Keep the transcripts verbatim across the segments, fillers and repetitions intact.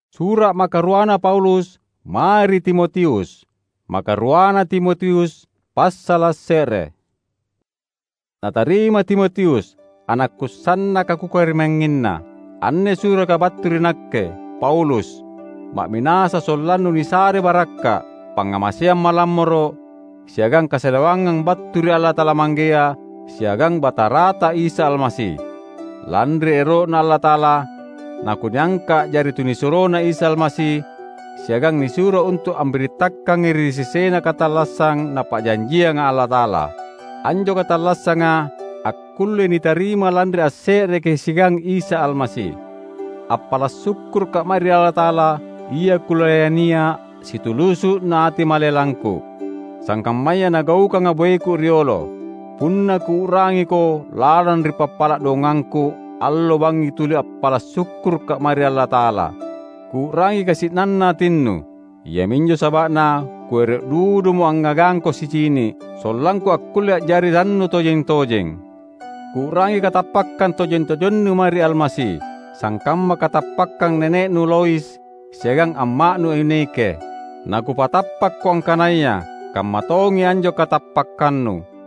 Sura’ makaruana Paulus mae ri Timotius. Makaruana Timotius, passala’ se're. Natarima Timotius, anakku sannaka kukarimangnginna. Anne suraka battu ri nakke, Paulus, ma'minasa sollannu nisare barakka’, pangngamaseang malammoro’, siagang kasalewangang battu ri Allata'ala Manggea siagang Batarata Isa Almasi. Lanri ero'Na Allata'ala, nakuniangka a'jari tunisuroNa Isa Almasi, siagang nisuro untu’ ambirittakangi ri sesena katallassang Napa'janjianga Allata'ala. Anjo katallassanga akkullei nitarima lanri asse'reki siagang Isa Almasi. Appala’ sukkuruka’ mae ri Allata'ala, Ia kulayania situlusu'na ati malelangku, sangkammaya nagaukanga boeku riolo. Punna kuu'rangiko lalang ri pappala’ dongangku, allo bangngi tuli appala’ sukkuruka’ mae ri Allata'ala. Kuu'rangi kasi'nanna atinnu. Iaminjo saba'na kuero’ dudumo angngagangko sicini’, sollangku akkulle a'jari rannu tojeng-tojeng. Kuu'rangi katappakkang tojeng-tojennu mae ri Almasi, sangkamma katappakkang nene'nu Lois siagang amma'nu Eunike. Nakupatappakko angkanaya kamma tongi anjo katappakkannu.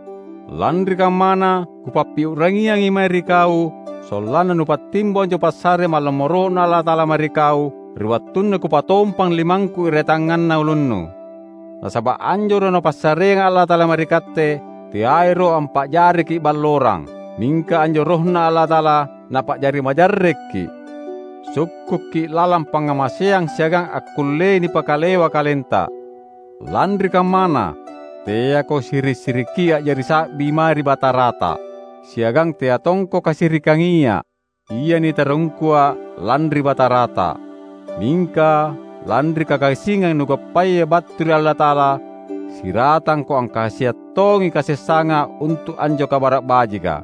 Lanri kammana, kupappiu'rangiangi mae ri kau, sollanna nupattimbo anjo passare malammoro'Na Allata'ala mae ri kau, ri wattunna kupatompang limangku ri tangnganna ulunnu. Nasaba’ anjo Roh Napassareanga Allata'ala mae ri katte, teairo ampa'jariki’ ballorang, mingka anjo RohNa Allata'ala Napa'jari majarrekki’. Sukkukki’ lalang pangngamaseang siagang akkullei nipakalewa kalenta. Lanri kammana, teako siri’-sirikki’ a'jari sa'bi mae ri Batarata, siagang tea tongko kasirikangiA’, ia nitarungkua lanri Batarata. Mingka lanri kakasingang nugappaya battu ri Allata'ala, siratangko angkasiang tongi kasessanga untu’ anjo Kabara’ Bajika.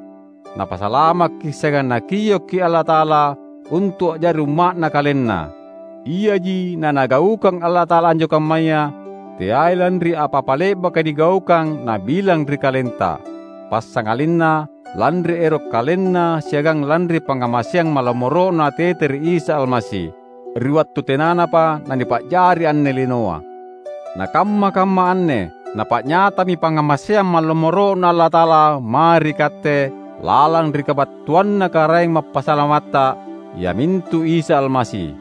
Napasalamakki’ siagang Nakiokki’ Allata'ala untu’ a'jari umma'Na KalenNa. Iaji naNagaukang Allata'ala anjo kammaya, teai lanri apa-apa le'baka nigaukang Nabilang ri kalenta, passangalinna lanri ero’ KalenNa siagang lanri pangngamaseang malammoro'Na tete ri Isa Almasi, ri wattu tenanapa nanipa'jari anne linoa. Na kamma-kamma anne napa'nyatami pangngamaseang malammoro'Na Allata'ala mae ri katte lalang ri kabattuanNa Karaeng Mappasalamatta, iamintu Isa Almasi.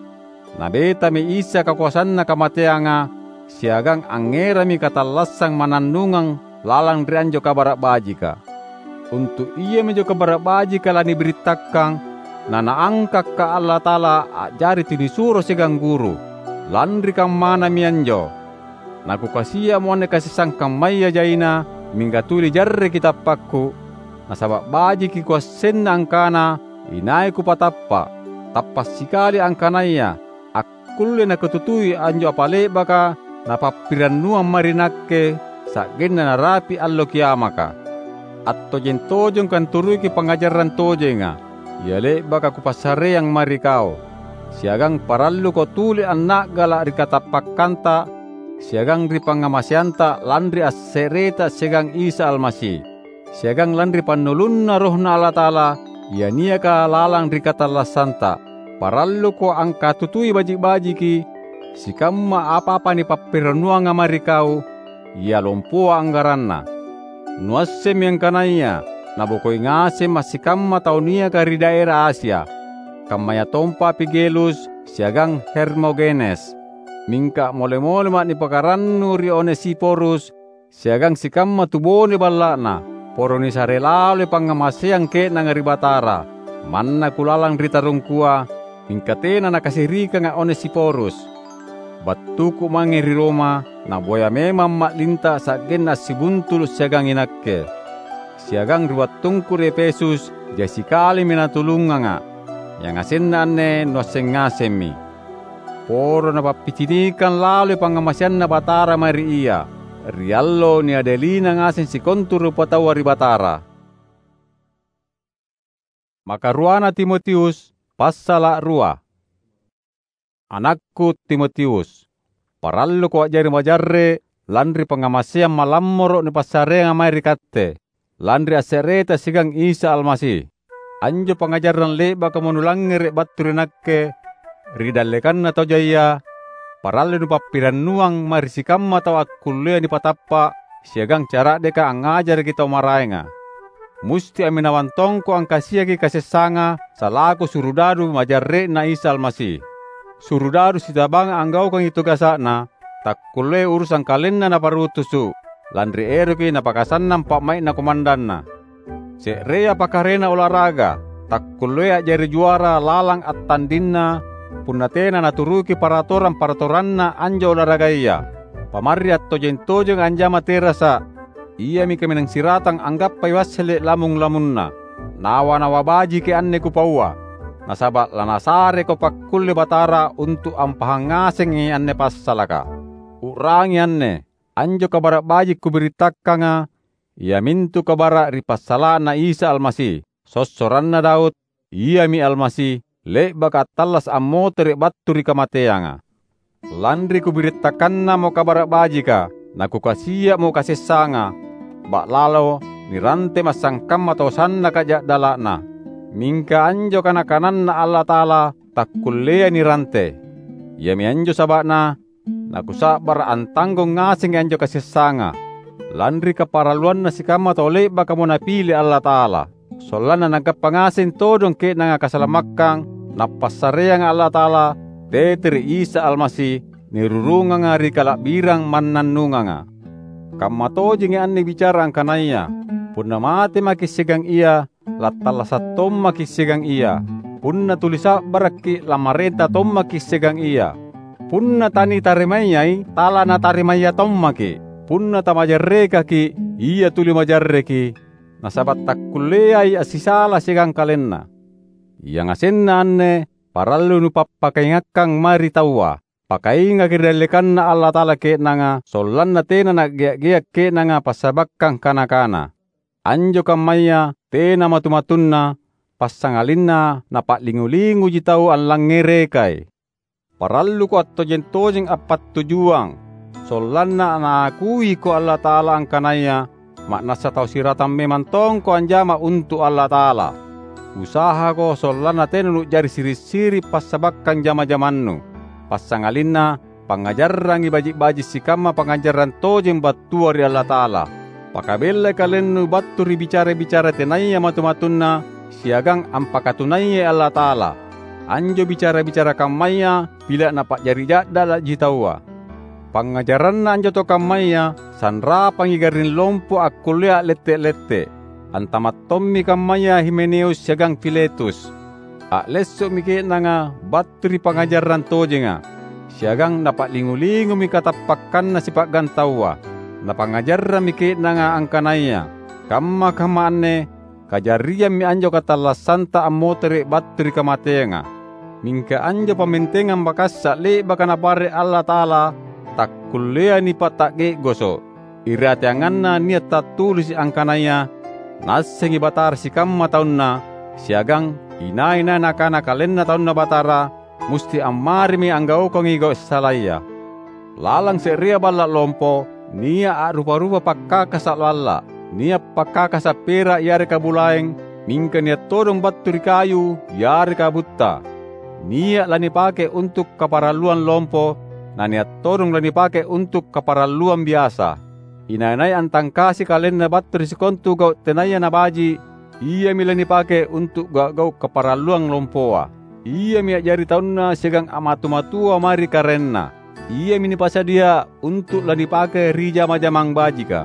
Nabetami Isa kakoasanna kamateanga, siagang angngerami katallassang mannannungang lalang ri anjo Kabara’ Bajika. Untu’ iaminjo Kabara’ Bajika lanibirittakang, naNaangkaka’ Allata'ala a'jari tunisuro siagang guru. Lanri kammanami anjo, nakukasia'mo anne kasessang kammaya jaina, mingka tuli jarreki tappakku, nasaba’ bajiki kuassenna angkana inai kupatappa’. Tappa’ sikali angkanaya akkulle nakututui anjo apa le'baka napappirannuang mae ri nakke, sa'genna narapi’ Allo Kiamaka. Attojeng-tojengko anturuki pangngajarang tojenga, ia le'baka kupassareang mae ri kau. Siagang paralluko tuli anna'gala’ ri katappakkanta siagang ri pangngamaseanta lanri asse'reta siagang Isa Almasi. siagang lanri pannulunna RohNa Allata'ala, ia niaka lalang ri katallassanta. Paralluko angkatutui baji’-bajiki sikamma apa-apa nipappirannuanga mae ri kau, ia lompoa anggaranna. Nuassemmi angkanaya nabokoi ngasemma’ sikamma tau niaka ri daera Asia, kammayatompa Figelus siagang Hermogenes. Mingka mole-molema’ nipakarannu ri Onesiforus, siagang sikamma tubone balla'na, poro nisare laloi pangngamaseang ke'nanga ri Batara. Manna kulalang ri tarungkua, mingka tena nakasirikanga’ Onesiforus. Battuku mange ri Roma, naboya memang ma'linta sa'genna assibuntulu’ siagang inakke. Siagang ri wattungku ri Efesus, jai sikalimi natulunganga’. Yangasenna anne nuasseng ngasemmi. Poro napappicinikang laloi pangngamaseanNa Batara mae ri ia, ri allo niadelina ngaseng sikontu rupataua ri Batara. Makaruana Timotius, passala’ rua. Anakku Timotius, paralluko a'jari majarre’ lanri pangngamaseang malammoro’ nipassareanga mae ri katte, lanri asse'reta siagang Isa Almasi. Anjo pangngajarang le'bakamo nulangngere’ battu ri nakke, Ri dallekanna tau jaia, parallui nupappirannuang mae ri sikamma tau akkullea nipatappa’ siagang cara'deka angngajaraki tau maraenga. Musti amminawang tongko angkasiaki kasessanga salaku surudadu majarre'Na Isa Almasi. Surudadu sitabanga anggaukangi tugasa'na, takkulleai urusang kalenna naparutusu’, lanri eroki napakasannang pa'mai'na komandanna. Se'rea pakarena olahraga takkulleai a'jari juara lalang attandinna punna tena naturuki paratorang-paratoranna anjo olahragaya. Pamarri attojeng-tojeng anjama terasa’, iami kaminang siratang anggappai wassele’ lamung-lamunna. Nawa-nawa bajiki anne kupaua, nasaba’ lanasareko pakkulle Batara untu’ ampahang ngasengi anne passalaka. U'rangi anne: anjo Kabara’ Baji’ kubirittakanga iamintu kabara’ ri passala'na Isa Almasi, sossoranna Daud, Iami Almasi, le'baka attallasa’ ammotere’ battu ri kamateanga. Lanri kubirittakannamo Kabara’ Bajika, nakukasia'mo kasessanga, ba'lalo nirante massangkamma tau sannaka ja'dala'na. Mingka anjo kana-kananNa Allata'ala takkulleai nirante. Iami anjo saba'na nakusa'bara’ antanggong ngasengi anjo kasessanga, lanri kaparalluanna sikamma tau le'bakamo Napile Allata'ala. Sollanna nagappa ngaseng todong ke'nanga kasalamakkang Nappassareanga Allata'ala tete ri Isa Almasi, nirurunganga ri kala'birang mannannunganga. Kamma tojengi anne bicara angkanaya: Punna mate maki’ siagang Ia, lattallasa’ tommaki’ siagang Ia. Punna tuli sa'barakki’, lamarenta tommaki’ siagang Ia. Punna tanitarimayai, talanatarima tommaki’. Punna tamajarrekaki’, Ia tuli majarreki, nasaba’ takkulleai assisala siagang KalenNa. Yangasenna anne parallui nupappakaingakkang mae ri taua. Pakaingaki ri dallekanNa Allata'ala ke'nanga, sollanna tena na'gea’-gea’ ke'nanga passabakkang kana-kana. Anjo kammaya tena matu-matunna, passangalinna napa'lingu-linguji tau allangngerekai. Paralluko attojeng-tojeng appattujuang, sollanna naakuiko Allata'ala angkanaya ma'nassa tau siratang memang tongko anjama untu’ Allata'ala. Usahako sollanna tena nu'jari siri’-siri’ passabakkang jama-jamannu, passangalinna pangngajarrangi baji’-baji’ sikamma pangngajarang tojeng battua ri Allata'ala. Pakabellai kalennu battu ri bicara-bicara tenaya matu-matunna siagang ampakatunayai Allata'ala. Anjo bicara-bicara kammaya pila’ napa'jari ja'dala'ji taua. Pangngajaranna anjo tau kammaya sanrapangi garring lompo akkullea a'lette-lette. Antama’ tommi kammaya Himeneus siagang Filetus. A'lesso'mi ke'nanga battu ri pangngajarang tojenga, siagang napa'lingu-lingumi katappakkanna sipa'gang taua. Napangngajarrammi ke'nanga angkanaya kamma-kamma anne kajariammi anjo katallassanta ammotere’ battu ri kamateanga. Mingka anjo pammentengang makassa’ le'baka Napare’ Allata'ala takkulleai nipata'ge'goso’. Irateanganna nia’ tattulisi’ angkanaya, "Naassengi Batara sikamma taunNa," siagang "Inai-nai nakana KalenNa taunNa Batara, musti ammarimi anggaukangi gau’ salaya." Lalang se'rea balla’ lompo, nia’ a'rupa-rupa pakkakasa’ lalla’, nia’ pakkakasa’ pera’ yareka bulaeng, mingka nia’ todong battu ri kayu yareka butta. Nia’ lanipake untu’ kaparalluang lompo, na nia’ todong lanipake untu’ kaparalluang biasa. Inai-nai antangkasi kalenna battu ri sikontu gau’ tenaya nabaji’, iami lanipake untu’ gau’-gau’ kaparalluang lompoa. Iami a'jari taunna siagang a'matu-matua mae ri karaenna. Iami nipasadia untu’ lanipake ri jama-jamang bajika.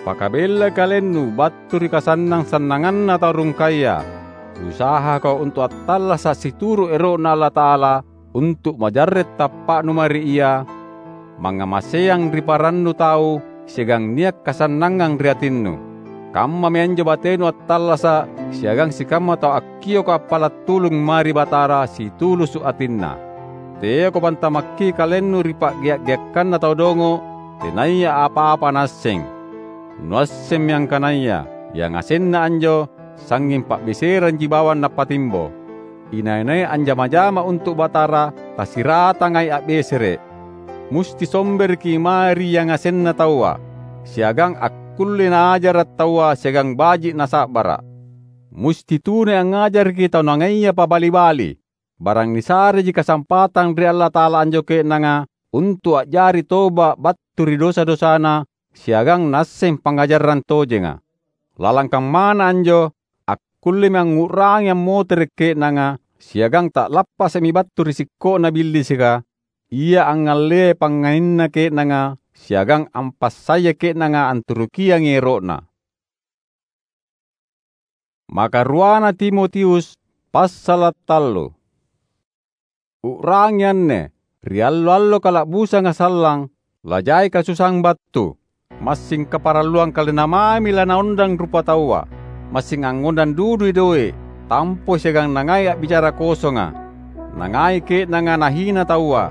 Pakabellai kalennu battu ri kasannang-sannanganna tau rungkaya. Usahako untu’ attallasa’ situru’ ero'Na Allata'ala, untu’ majarre’ tappa'nu mae ri Ia, mangngamaseang ri parannu tau siagang nia’ kasannangang ri atinnu. Kammami anjo batenu attallasa’ siagang sikamma tau akkioko appala’ tulung mae ri Batara situlusu’ atinNa. Teako pantamakki kalennu ri pa'gea’-geakkanna tau dongo’ tenaya apa-apa naasseng. Nuassemmi angkanaya yangasenna anjo sangnging pa'beseranji bawang nappatimbo. Inai-nai anjama-jama untu’ Batara tasiratangai a'besere’. Musti sombereki mae ri yangasenna taua, siagang akkulle naajara’ taua siagang baji’ nasa'bara’. Musti tunai angngajaraki tau nangaia pabali-bali. barang nisareji kasampatang ri Allata'ala anjo ke'nanga untu’ a'jari toba’ battu ri dosa-dosana siagang naasseng pangngajarang tojenga. Lalang kammana anjo, akkullemi angngu'rangi ammotere’ ke'nanga siagang ta'lappasa'mi battu ri sikko'na Billisika, ia angngalleai pangngainna ke'nanga siagang ampassaya ke'nanga anturukiangi ero'na. Makaruana Timotius, passala’ tallu. U'rangi anne: ri allo-allo kala'busanga sallang, lajai kasusang battu. Massing kaparalluang kalenna mami lanaondang rupataua. Massing angngondang dudui doe’, tampoi siagang nangai a'bicara kosonga. Nangai ke'nanga nahina taua,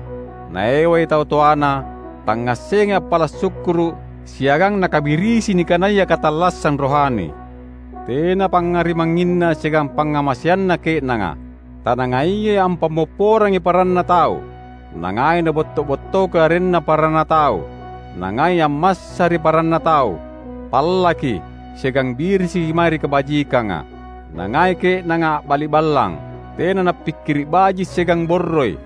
naewai tau toana, tangngassengai appala’ sukkuru’, siagang nakabirisi nikanaya katallassang rohani. Tena pangngarimangnginna siagang pangngamaseanna ke'nanga. Tanangaiai ampammopporangi paranna tau. Nangai nabotto-bottoki arenna paranna tau. Nangai ammassa ri paranna tau. Pallaki, siagang birisiki mae ri kabajikanga. Nangai ke'nanga a'bali’ ballang, tena nappikkiri’ baji’ siagang borroi.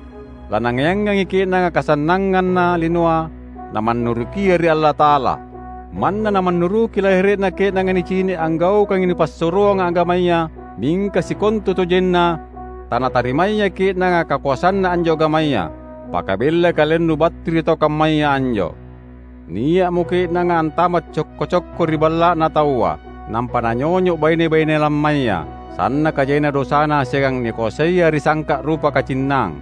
Lanangayangangi ke'nanga kasannanganna linoa namannurukia ri Allata'ala. Manna namannuruki lahere'na ke'nanga nicini’ anggaukangi nipassuroanga agamaya, mingka sikontutojenna tanatarimaya ke'nanga kakoasanna anjo agamaya. Pakabellai kalennu battu ri tau kammaya anjo. Nia'mo ke'nanga antama’ cokko-cokko ri balla'na taua, nampa nanyonyo’ baine-baine lammaya, sannaka jaina dosana siagang nikoasaia ri sangka’ rupa kacinnang.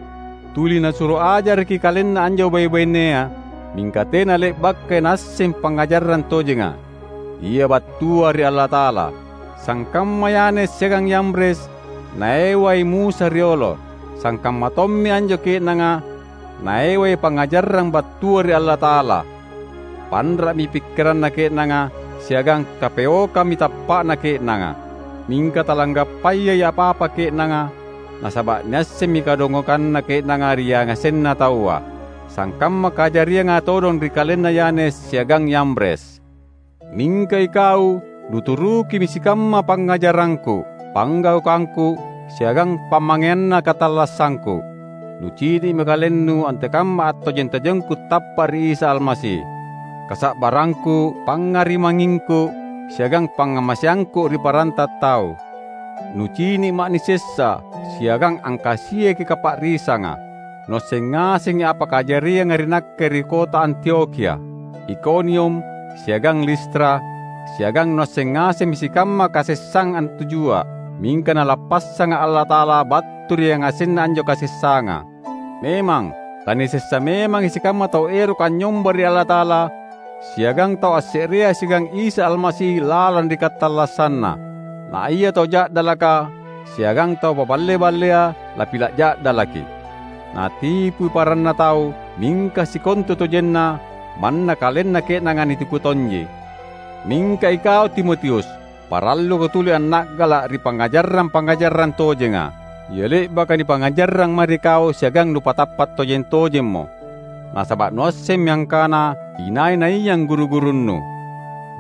Tuli nasuro ajaraki kalenna anjo bai-bainea, mingka tena le'bakai naasseng pangngajarang tojenga, ia battua ri Allata'ala. Sangkamma Yanes siagang Yambres, naewai Musa riolo, sangkamma tommi anjo ke'nanga naewai pangngajarang battua ri Allata'ala. Panra'mi pikkiranna ke'nanga siagang kapeokammi tappa'na ke'nanga. Mingka talanggappayai apa-apa ke'nanga, nasaba’ niassemmi kadongokanna ke'nanga ri yangasenna taua, sangkamma kajarianga todong ri kalenna Yanes siagang Yambres. Mingka ikau, nuturukimi sikamma pangngajarangku, panggaukangku, siagang pammangeanna katallassangku. Nucini'mi kalennu antekamma attojeng-tojengku tappa’ ri Isa Almasi, kasa'barangku, pangngarimangingku, siagang pangngamaseangku ri paranta tau. Nucini’ ma'ni sessa siagang angkasiaki kapa'risanga. Nuasseng ngasengi apa kajarianga ri nakke ri kota Antiokhia, Ikonium, siagang Listra, siagang nuasseng ngasemmi sikamma kasessang antujua, mingka Nalappassanga Allata'ala battu ri yangasenna anjo kasessanga. Memang, lanisessa memangi sikamma tau eroka anynyomba ri Allata'ala, siagang tau asse'rea siagang Isa Almasi lalang ri katallassanna. Na ia tau ja'dalaka siagang tau paballe-ballea lapila’ ja'dalaki. Natipui paranna tau, mingka sikontutojenna manna kalenna ke'nanga nitipu tonji. Mingka ikau, Timotius, paralluko tuli anna'gala’ ri pangngajarang-pangngajarang tojenga. Ia le'baka nipangngajarang mae ri kau siagang nupatappa’ tojeng-tojemmo. Nasaba’ nuassemmi angkana inai-naia angguru-gurunnu.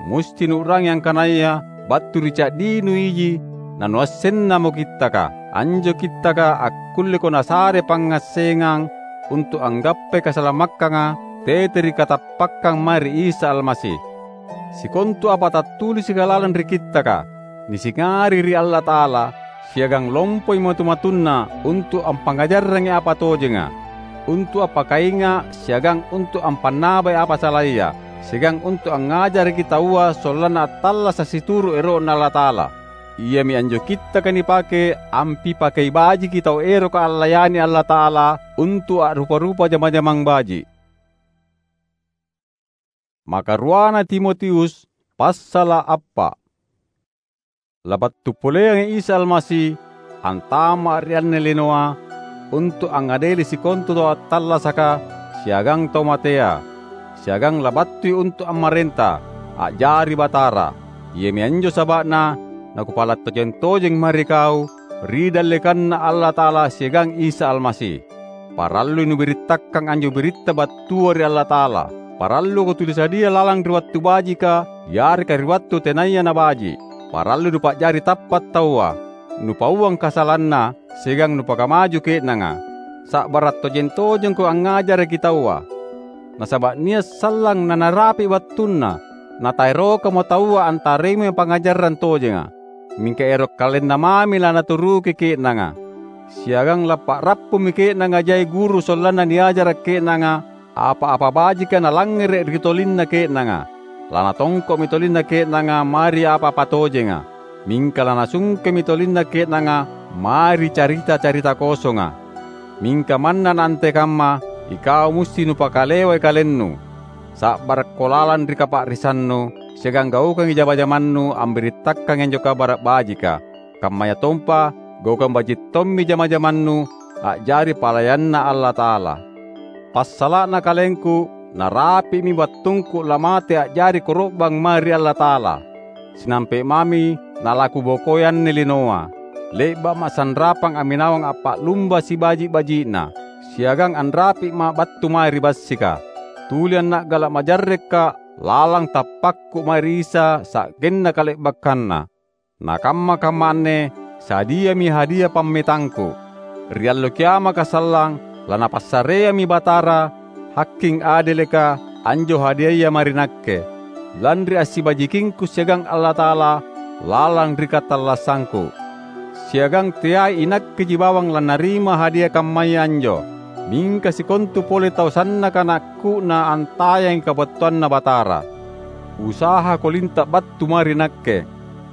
Musti nuu'rangi angkanaya battu ri ca'dinu iji nanuassennamo Kittaka. Anjo Kittaka akkulleko nasare pangngassengang untu’ anggappai kasalamakkanga tete ri katappakkang mae ri Isa Almasi. Sikontu apa tattulisika lalang ri Kittaka, nisingari ri Allata'ala, siagang lompoi matu-matunna untu’ ampangngajarrangi apa tojenga, untu’ appakainga’ siagang untu’ ampannabai apa salaya, siagang untu’ angngajaraki taua sollanna attallasa’ situru’ ero'Na Allata'ala. Iami anjo Kittaka nipake ampipakei bajiki tau eroka allayani Allata'ala untu’ a'rupa-rupa jama-jamang baji’. Makaruana Timotius, passala’ appa’. Labattu poleangi Isa Almasi antama’ ri anne linoa untu’ angngadeli sikontu tau attallasaka siagang tau matea, siagang labattui untu’ ammarenta, a'jari batara. Iami anjo saba'na nakupala’ tojeng-tojeng mae ri kau ri dallekanNa Allata'ala siagang Isa Almasi. Parallui nubirittakkang anjo biritta battua ri Allata'ala. Paralluko tuli sadia lalang ri wattu bajika yareka ri wattu tenaya nabaji’. Parallui nupa'jari tappa’ taua. nupauang kasalanna, siagang nupakamaju ke'nanga. Sa'bara’ tojeng-tojengko angngajaraki taua. Nasaba’ nia’ sallang nanarapi’ wattunna, nataerokamo taua antarimai pangngajarang tojenga. Mingka ero’ kalenna mami lanaturuki ke'nanga. Siagang lappa'rappumi ke'nanga jai guru sollanna niajara’ ke'nanga apa-apa bajika nalangngere’ ri tolinna ke'nanga. Lanatongko'mi tolinna ke'nanga mae ri apa-apa tojenga. Mingka lanasungkemi tolinna ke'nanga mae ri carita-carita kosonga. Mingka manna naantekamma, ikau musti nupakalewai kalennu. Sa'barakko lalang ri kapa'risannu, siagang gaukangi jama-jamannu ambirittakangi anjo Kabara’ Bajika. Kammayatompa gaukang baji’ tommi jama-jamannu a'jari palayanNa Allata'ala. Passala'na kalengku, narapi'mi wattungku lamate a'jari koro'bang mae ri Allata'ala. Sinampe’ mami nalakubokoi anne linoa. Le'ba'ma’ sanrapang amminawang appa'lumba sibaji’-baji'na, siagang anrapi'ma’ battu mae ri bassika. Tuli anna'gala’ majarrekka’ lalang tappakku mae ri Isa sa'genna kale'bakkanna. Na kamma-kamma anne sadiami hadia pammetangku. Ri Allo Kiamaka sallang, lanapassareammi Batara, Haking Adeleka, anjo hadiaya mae ri nakke, lanri assibajikingku siagang Allata'ala lalang ri katallassangku. Siagang teai inakkeji bawang lannarima hadia kammaya anjo, mingka sikontu pole tau sannaka naakku'na antayangi kabattuanNa Batara. Usahako linta’ battu mae ri nakke,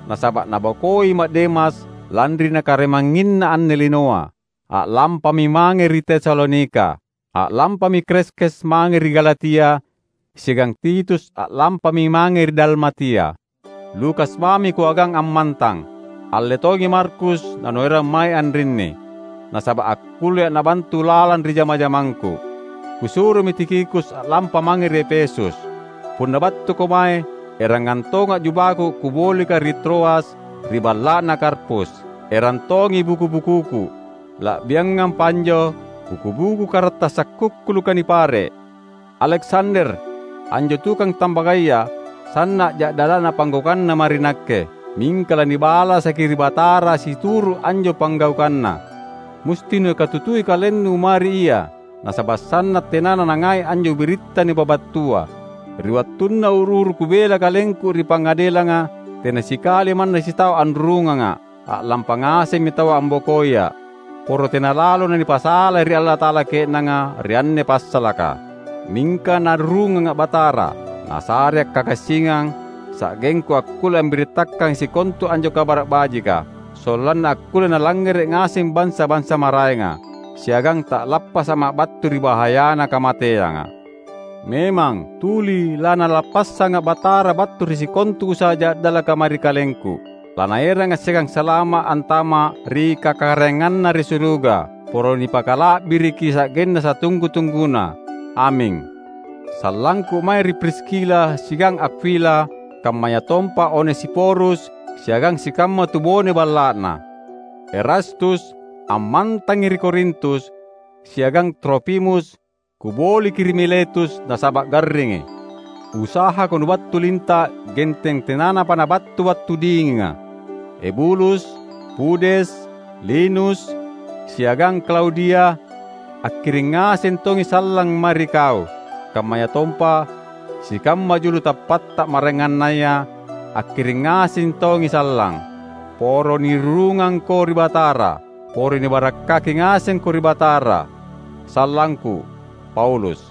nasaba’ nabokoima’ Demas lanri nakarimangnginna anne linoa. A'lampami mange ri Tesalonika. A'lampami Kreskes mange ri Galatia, siagang Titus a'lampami mange ri Dalmatia. Lukas mami kuagang ammantang. Alle tongi Markus nanuerang mae anrinni, nasaba’ akkullea’ nabantu lalang ri jama-jamangku. Kusuromi Tikhikus a'lampa mange ri Efesus. Punna battuko mae, erangang tonga’ jubaku kubolika ri Troas ri balla'na Karpus. Erang tongi buku-bukuku. La'biangampa anjo kukubuku karattasa’ kukkuluka nipare’. Aleksander, anjo tukang tambagaya, sanna’ ja'dala'na panggaukanna mae ri nakke, mingka lanibalasaki ri Batara situru’ anjo panggaukanna. Musti nukatutui kalennu mae ri ia, nasaba’ sanna’ tenana nangai anjo biritta nipabattua. Ri wattunna uru-uru kubela kalengku ri pangadelanga, tena sikali manna sitau anrurunganga’. A'lampa ngasemmi taua ambokoia’. Poro tena lalo nanipasalai ri Allata'ala ke'nanga ri anne passalaka. Mingka Narurunganga’ Batara, Nasare akkakasingang, sa'gengku akkulle ambirittakangi sikontu anjo Kabara’ Bajika, sollanna akkulle nalangngere’ ngaseng bansa-bansa maraenga, siagang ta'lappasama’ battu ri bahayana kamateanga. Memang tuli laNalappassanga’ Batara battu ri sikontu usaha ja'dalaka mae ri kalengku. LaNaeranga’ siagang salama’ antama’ ri kakaraenganNa ri suruga, poro nipakala'biriki sa'genna satunggu-tungguna. Aming. Sallangku mae ri Priskila siagang Akwila, kammayatompa Onesiforus siagang sikamma tubone balla'na. Erastus ammantangi ri Korintus, siagang Trofimus, kuboliki ri Miletus nasaba’ garringi. Usahako nubattu linta’ genteng tenanapa nabattu wattu dinginga. Ebulus, Pudes, Linus, siagang Klaudia, akkiring ngaseng tongi sallang mae ri kau, kammayatompa sikamma julu tappatta maraengannaya akkiring ngaseng tongi sallang. Poro nirurungangko ri Batara, poro nibarakkaki ngasengko ri Batara. Sallangku, Paulus.